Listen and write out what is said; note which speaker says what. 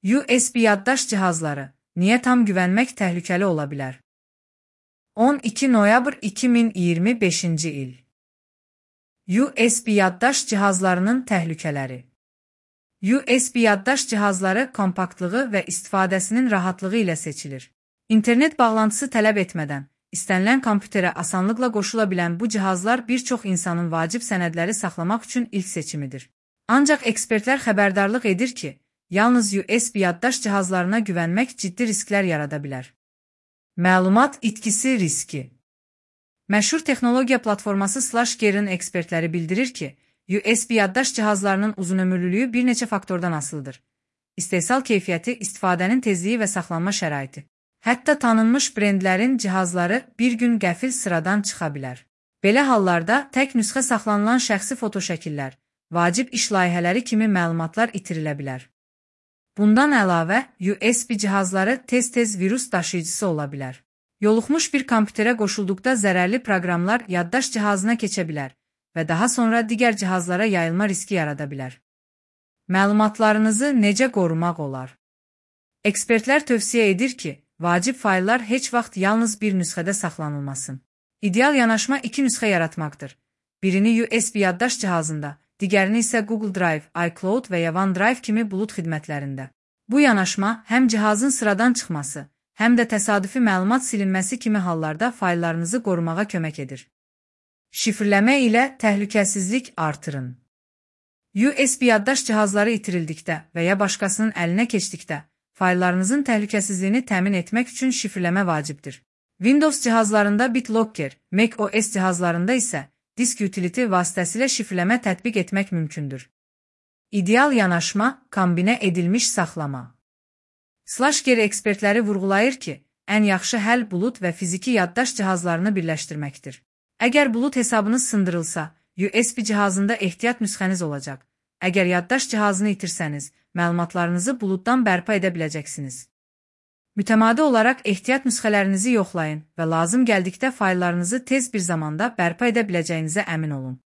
Speaker 1: USB yaddaş cihazları, niyə tam güvənmək təhlükəli ola bilər? 12 noyabr 2025-ci il. USB yaddaş cihazlarının təhlükələri. USB yaddaş cihazları kompaktlığı və istifadəsinin rahatlığı ilə seçilir. İnternet bağlantısı tələb etmədən, istənilən kompüterə asanlıqla qoşula bilən bu cihazlar bir çox insanın vacib sənədləri saxlamaq üçün ilk seçimidir. Ancaq ekspertlər xəbərdarlıq edir ki, yalnız USB yaddaş cihazlarına güvənmək ciddi risklər yarada bilər. Məlumat itkisi riski. Məşhur texnologiya platforması SlashGear'ın ekspertləri bildirir ki, USB yaddaş cihazlarının uzunömürlülüyü bir neçə faktordan asılıdır. İstehsal keyfiyyəti, istifadənin tezliyi və saxlanma şəraiti. Hətta tanınmış brendlərin cihazları bir gün qəfil sıradan çıxa bilər. Belə hallarda tək nüsxə saxlanılan şəxsi fotoşəkillər, vacib iş layihələri kimi məlumatlar itirilə bilər. Bundan əlavə, USB cihazları tez-tez virus daşıyıcısı ola bilər. Yoluxmuş bir kompüterə qoşulduqda zərərli proqramlar yaddaş cihazına keçə bilər və daha sonra digər cihazlara yayılma riski yarada bilər. Məlumatlarınızı necə qorumaq olar? Ekspertlər tövsiyə edir ki, vacib fayllar heç vaxt yalnız bir nüsxədə saxlanılmasın. İdeal yanaşma iki nüsxə yaratmaqdır. Birini USB yaddaş cihazında, digərini isə Google Drive, iCloud və ya OneDrive kimi bulut xidmətlərində. Bu yanaşma həm cihazın sıradan çıxması, həm də təsadüfi məlumat silinməsi kimi hallarda fayllarınızı qorumağa kömək edir. Şifrləmə ilə təhlükəsizlik artırın. USB yaddaş cihazları itirildikdə və ya başqasının əlinə keçdikdə, fayllarınızın təhlükəsizliyini təmin etmək üçün şifrləmə vacibdir. Windows cihazlarında BitLocker, macOS cihazlarında isə disk utility vasitəsilə şifrləmə tətbiq etmək mümkündür. İdeal yanaşma, kombinə edilmiş saxlama. SlashGear ekspertləri vurğulayır ki, ən yaxşı həll bulut və fiziki yaddaş cihazlarını birləşdirməkdir. Əgər bulut hesabınız sındırılsa, USB cihazında ehtiyat nüsxəniz olacaq. Əgər yaddaş cihazını itirsəniz, məlumatlarınızı buluddan bərpa edə biləcəksiniz. Mütəmadi olaraq ehtiyat nüsxələrinizi yoxlayın və lazım gəldikdə fayllarınızı tez bir zamanda bərpa edə biləcəyinizə əmin olun.